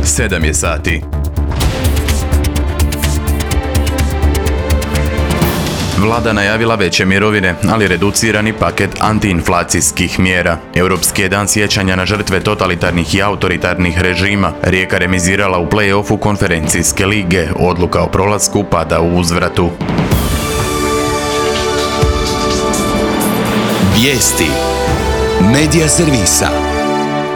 7 je sati. Vlada najavila veće mirovine, ali reducirani paket antiinflacijskih mjera. Europski je dan sjećanja na žrtve totalitarnih i autoritarnih režima. Rijeka remizirala u play-offu konferencijske lige. Odluka o prolasku pada u uzvratu. Vijesti Medija servisa.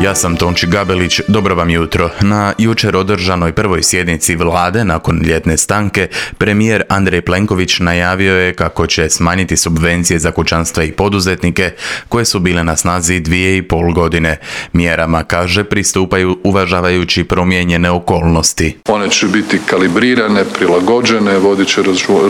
Ja sam Tonči Gabelić, dobro vam jutro. Na jučer održanoj prvoj sjednici vlade nakon ljetne stanke, premijer Andrej Plenković najavio je kako će smanjiti subvencije za kućanstva i poduzetnike koje su bile na snazi 2,5 godine. Mjerama, kaže, pristupaju uvažavajući promijenjene okolnosti. One će biti kalibrirane, prilagođene, vodit će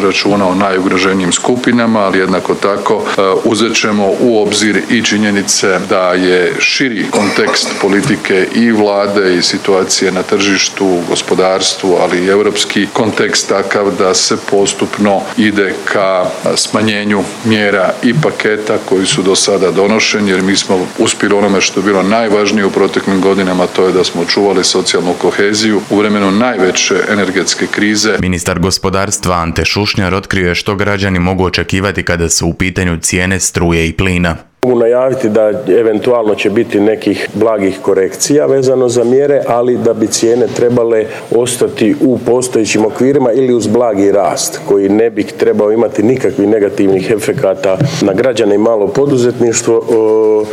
računa o najugroženijim skupinama, ali jednako tako uzet ćemo u obzir i činjenice da je širi kontekst politike i vlade i situacije na tržištu, gospodarstvu, ali i europski kontekst takav da se postupno ide ka smanjenju mjera i paketa koji su do sada donošeni, jer mi smo uspjeli onome što je bilo najvažnije u proteklim godinama, to je da smo čuvali socijalnu koheziju u vremenu najveće energetske krize. Ministar gospodarstva Ante Šušnjar otkrio je što građani mogu očekivati kada su u pitanju cijene struje i plina. Mogu najaviti da eventualno će biti nekih blagih korekcija vezano za mjere, ali da bi cijene trebale ostati u postojećim okvirima ili uz blagi rast koji ne bi trebao imati nikakvih negativnih efekata na građane i malo poduzetništvo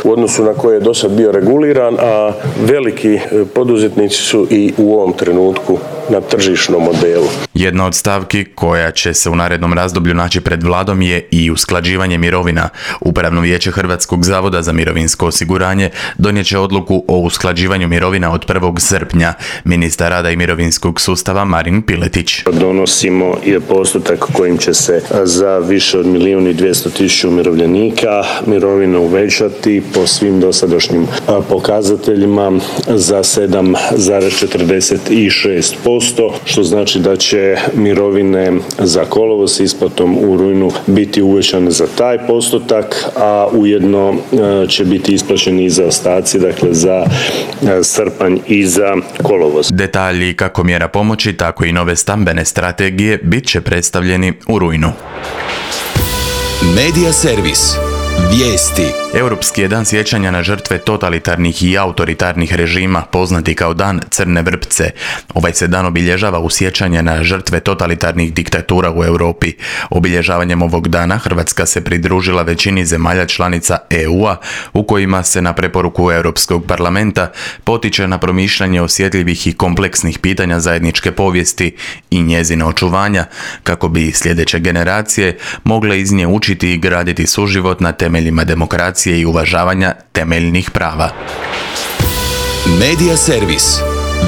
u odnosu na koje je do sad bio reguliran, a veliki poduzetnici su i u ovom trenutku na tržišnom modelu. Jedna od stavki koja će se u narednom razdoblju naći pred vladom je i usklađivanje mirovina. Upravno vijeće Hrvatskog zavoda za mirovinsko osiguranje donijet će odluku o usklađivanju mirovina od 1. srpnja. Ministar rada i mirovinskog sustava Marin Piletić. Donosimo i postotak kojim će se za više od 1.200.000 umirovljenika mirovine uvećati po svim dosadašnjim pokazateljima za 7,46%, što znači da će mirovine za kolovoz s isplatom u rujnu biti uvećane za taj postotak, a ujedno će biti isplaćeni i zaostaci, dakle za srpanj i za kolovoz. Detalji kako mjera pomoći, tako i nove stambene strategije bit će predstavljeni u rujnu. Medija servis. Vijesti. Europski je dan sjećanja na žrtve totalitarnih i autoritarnih režima, poznati kao Dan Crne vrpce. Ovaj se dan obilježava u sjećanje na žrtve totalitarnih diktatura u Europi. Obilježavanjem ovog dana Hrvatska se pridružila većini zemalja članica EU-a, u kojima se na preporuku Europskog parlamenta potiče na promišljanje osjetljivih i kompleksnih pitanja zajedničke povijesti i njezina očuvanja, kako bi sljedeće generacije mogle iz nje učiti i graditi suživot na temeljima demokracije i uvažavanja temeljnih prava. Medija servis.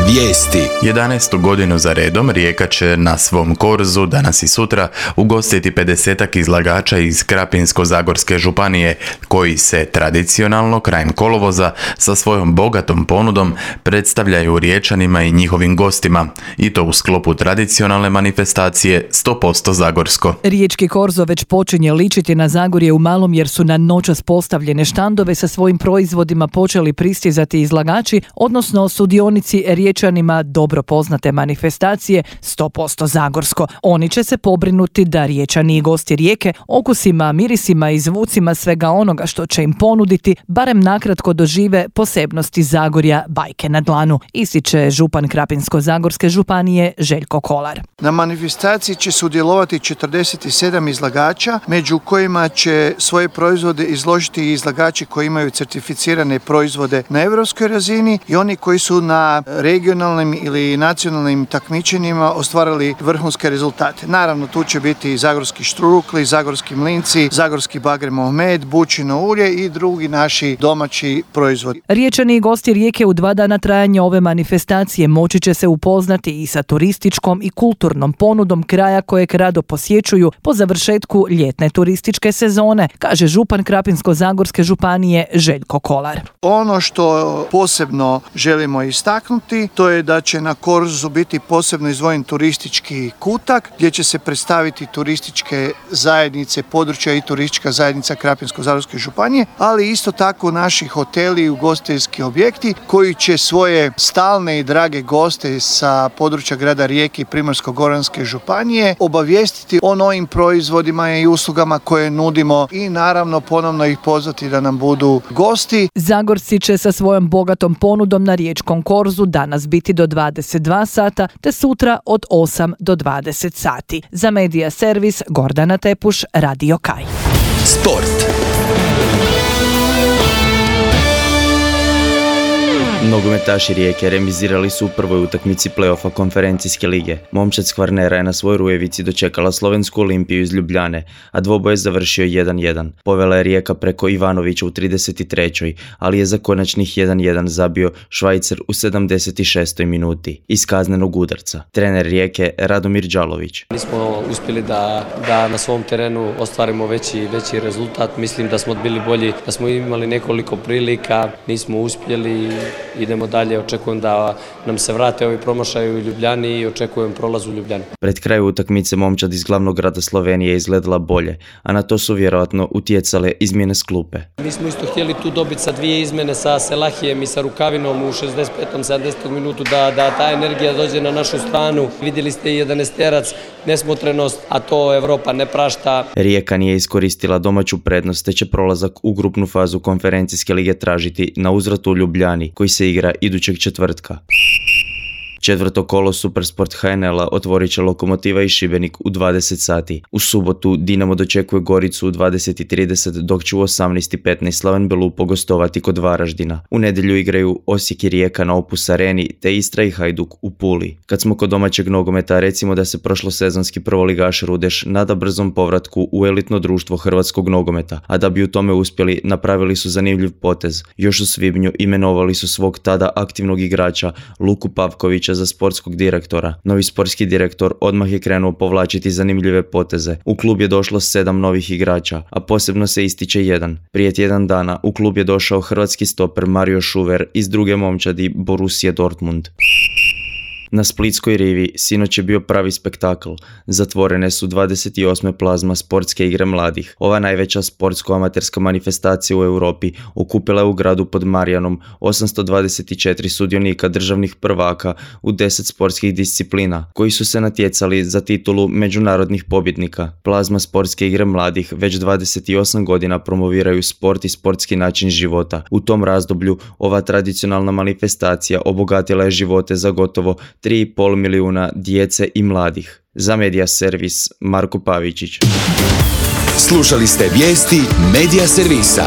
Vijesti. 11. godinu za redom Rijeka će na svom korzu danas i sutra ugostiti 50-ak izlagača iz Krapinsko-zagorske županije, koji se tradicionalno krajem kolovoza sa svojom bogatom ponudom predstavljaju Riječanima i njihovim gostima, i to u sklopu tradicionalne manifestacije 100% Zagorsko. Riječki korzo već počinje ličiti na Zagorje u malom, jer su na noćas postavljene štandove sa svojim proizvodima počeli pristizati izlagači, odnosno sudionici Riječanima dobro poznate manifestacije 100% Zagorsko. Oni će se pobrinuti da Riječani i gosti Rijeke okusima, mirisima i zvucima svega onoga što će im ponuditi barem nakratko dožive posebnosti Zagorja bajke na dlanu, ističe župan Krapinsko-zagorske županije Željko Kolar. Na manifestaciji će sudjelovati 47 izlagača, među kojima će svoje proizvode izložiti i izlagači koji imaju certificirane proizvode na europskoj razini i oni koji su na regionalnim ili nacionalnim takmičenjima ostvarili vrhunske rezultate. Naravno, tu će biti i zagorski štrukli, zagorski mlinci, zagorski bagremov med, bučino ulje i drugi naši domaći proizvodi. Riječani i gosti Rijeke u 2 dana trajanja ove manifestacije moći će se upoznati i sa turističkom i kulturnom ponudom kraja kojeg rado posjećuju po završetku ljetne turističke sezone, kaže župan Krapinsko-zagorske županije Željko Kolar. Ono što posebno želimo istaknuti dogoditi, to je da će na Korzu biti posebno izdvojen turistički kutak gdje će se predstaviti turističke zajednice područja i turistička zajednica Krapinsko-zagorske županije, ali isto tako naši hoteli i ugostiteljski objekti koji će svoje stalne i drage goste sa područja grada Rijeke i Primorsko-goranske županije obavijestiti o novim proizvodima i uslugama koje nudimo i naravno ponovno ih pozvati da nam budu gosti. Zagorci će sa svojom bogatom ponudom na riječkom Korzu danas biti do 22 sata te sutra od 8 do 20 sati. Za Medija servis Gordana Tepuš, Radio Kaj. Sport. Nogometaši Rijeke remizirali su u prvoj utakmici play-offa konferencijske lige. Momčad s Kvarnera je na svojoj Rujevici dočekala Slovensku Olimpiju iz Ljubljane, a dvoboj je završio 1-1. Povela je Rijeka preko Ivanovića u 33. ali je za konačnih 1-1 zabio Švajcar u 76. minuti iz kaznenog udarca. Trener Rijeke Radomir Đalović. Nismo uspjeli da na svom terenu ostvarimo veći rezultat. Mislim da smo bili bolji, da smo imali nekoliko prilika, nismo uspjeli. Idemo dalje, očekujem da nam se vrate ovi promašaji u Ljubljani i očekujem prolaz u Ljubljani. Pred kraju utakmice momčad iz glavnog grada Slovenije izgledala bolje, a na to su vjerojatno utjecale izmjene s klupe. Mi smo isto htjeli tu dobiti sa 2 izmjene sa Selahijem i sa Rukavinom u 65. 70. minutu da ta energija dođe na našu stranu. Vidjeli ste i 11-terac, nesmotrenost, a to Evropa ne prašta. Rijeka nije iskoristila domaću prednost, te će prolazak u grupnu fazu konferencijske lige tražiti na uzvratu u Ljubljani, koji se igra idućeg četvrtka. Četvrto kolo Supersport HNL-a otvorit će Lokomotiva i Šibenik u 20 sati. U subotu Dinamo dočekuje Goricu u 20:30, dok će u 18:15 Slaven Belupo gostovati kod Varaždina. U nedjelju igraju Osijek i Rijeka na Opus Areni, te Istra i Hajduk u Puli. Kad smo kod domaćeg nogometa, recimo da se prošlosezonski prvoligaš Rudeš nada brzom povratku u elitno društvo hrvatskog nogometa, a da bi u tome uspjeli, napravili su zanimljiv potez. Još u svibnju imenovali su svog tada aktivnog igrača Luku Pavkovića za sportskog direktora. Novi sportski direktor odmah je krenuo povlačiti zanimljive poteze. U klub je došlo 7 novih igrača, a posebno se ističe jedan. Prije tjedan dana u klub je došao hrvatski stoper Mario Šuver iz druge momčadi Borussia Dortmund. Na Splitskoj rivi sinoć je bio pravi spektakl. Zatvorene su 28. plazma sportske igre mladih. Ova najveća sportsko-amaterska manifestacija u Europi okupila je u gradu pod Marijanom 824 sudionika državnih prvaka u 10 sportskih disciplina, koji su se natjecali za titulu međunarodnih pobjednika. Plazma sportske igre mladih već 28 godina promoviraju sport i sportski način života. U tom razdoblju ova tradicionalna manifestacija obogatila je živote za gotovo 3,5 milijuna djece i mladih. Za Medija servis Marko Pavičić. Slušali ste vijesti Medija servisa.